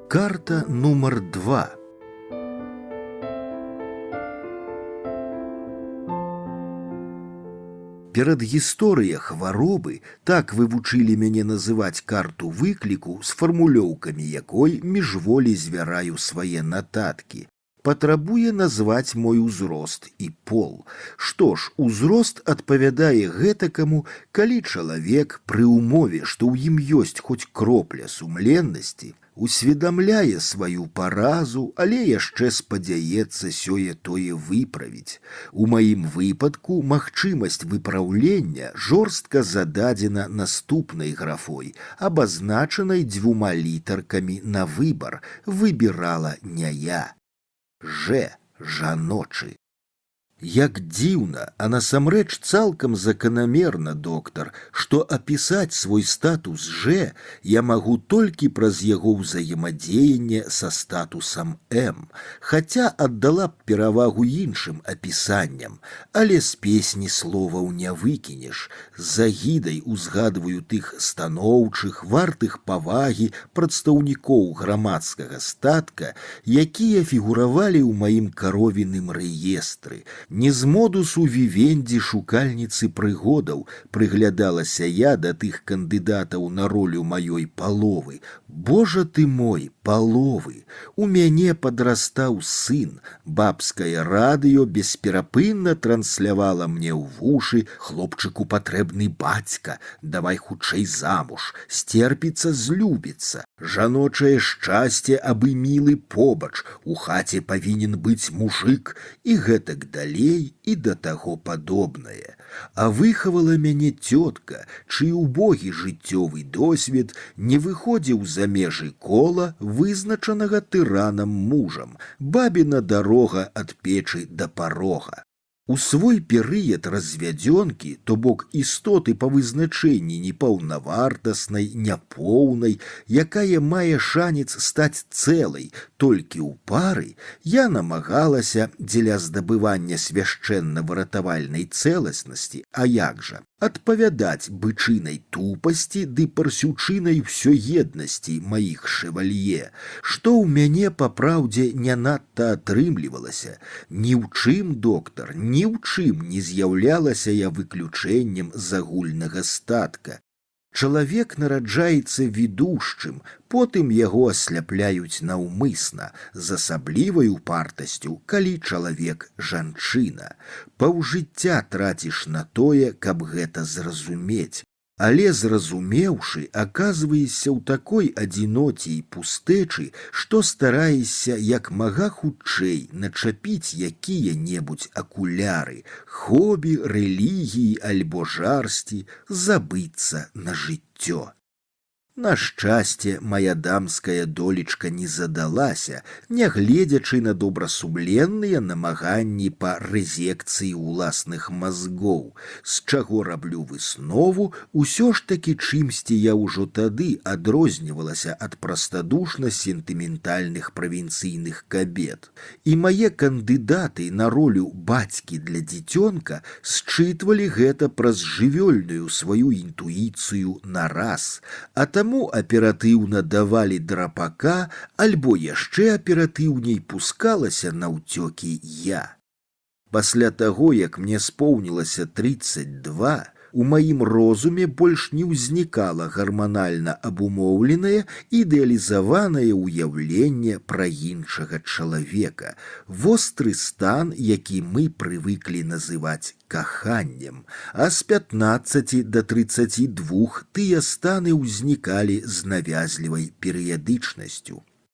Карта нумар 2. Перадгісторыя хваробы, так вывучылі мяне называць карту выкліку з фармулёўкамі якой міжволі звяраю свае нататкі. Патрабуе назваць мой узрост і пол. Што ж, узрост адпавядае гэтакаму, калі чалавек пры ўмове, што ў ім ёсць хоць кропля сумленнасці, усведамляе сваю паразу, але яшчэ спадзяецца сёе-тое выправіць. У маім выпадку магчымасць выпраўлення жорстка зададзена наступнай графой, абазначанай 2 літаркамі на выбар. Выбірала не я. Жаночы. Як дзіўна, а насамрэч цалкам заканамерна, доктар, што апісаць свой статус я магу толькі праз яго ўзаемадзеянне са статусам М, хаця аддала б перавагу іншым апісанням, але з песні словаў не выкінеш. З агідай узгадваю тых станоўчых, вартых павагі прадстаўнікоў грамадскага статка, якія фігуравалі ў маім каровіным рэестры. Не з модусу вівендзі шукальніцы прыгодаў прыглядалася я да тых кандыдатаў на ролю маёй паловы. Божа ты мой, паловы! У мяне падрастаў сын, бабскае радыё бесперапынна транслявала мне ў вушы: хлопчыку патрэбны бацька, давай хутчэй замуж, сцерпіцца, злюбіцца, жаночае шчасце, абы мілы побач, у хаце павінен быць мужык і гэтак далей і да таго падобнае. А выхавала мяне цётка, чый убогі жыццёвы досвед не выходзіў за межы кола, вызначанага тыранам мужам, бабіна дарога ад печы да парога. У свой перыяд развядзёнкі, то бок істоты па вызначэнні непаўнавартаснай, няпоўнай, якая мае шанец стаць цэлай толькі ў пары, я намагалася дзеля здабывання свяшчэнна-выратавальнай цэласнасці, а як жа, адпавядаць бычынай тупасці ды парсючынай усёеднасці маіх шэвалье, што ў мяне па праўдзе не надта атрымлівалася. Ні ў чым, доктар, ні ў чым не з'яўлялася я выключэннем з агульнага статка. Чалавек нараджаецца відушчым, потым яго асляпляюць наўмысна, з асаблівай упартасцю, калі чалавек жанчына. Паўжыцця траціш на тое, каб гэта зразумець. Але зразумеўшы, аказваешся ў такой адзіноце і пустэчы, што стараешся як мага хутчэй начапіць якія-небудзь акуляры, хобі, рэлігіі альбо жарсці, забыцца на жыццё. На шчасце, мая дамская долечка не задалася, нягледзячы на добрасумленныя намаганні па рэзекцыі ўласных мазгоў, з чаго раблю выснову, усё ж такі чымсьці я ўжо тады адрознівалася ад прастадушна-сентыментальных правінцыйных кабет. І мае кандыдаты на ролю бацькі для дзіцёнка счытвалі гэта праз жывёльную сваю інтуіцыю нараз, а таму аператыўна давалі драпака, альбо яшчэ аператыўней пускалася наўцёкі я. Пасля таго, як мне споўнілася 32, у маім розуме больш не ўзнікала гарманальна абумоўленае ідэалізаванае ўяўленне пра іншага чалавека, востры стан, які мы прывыклі называць каханнем, а з 15 да 32 тыя станы ўзнікалі з навязлівай перыядычнасцю.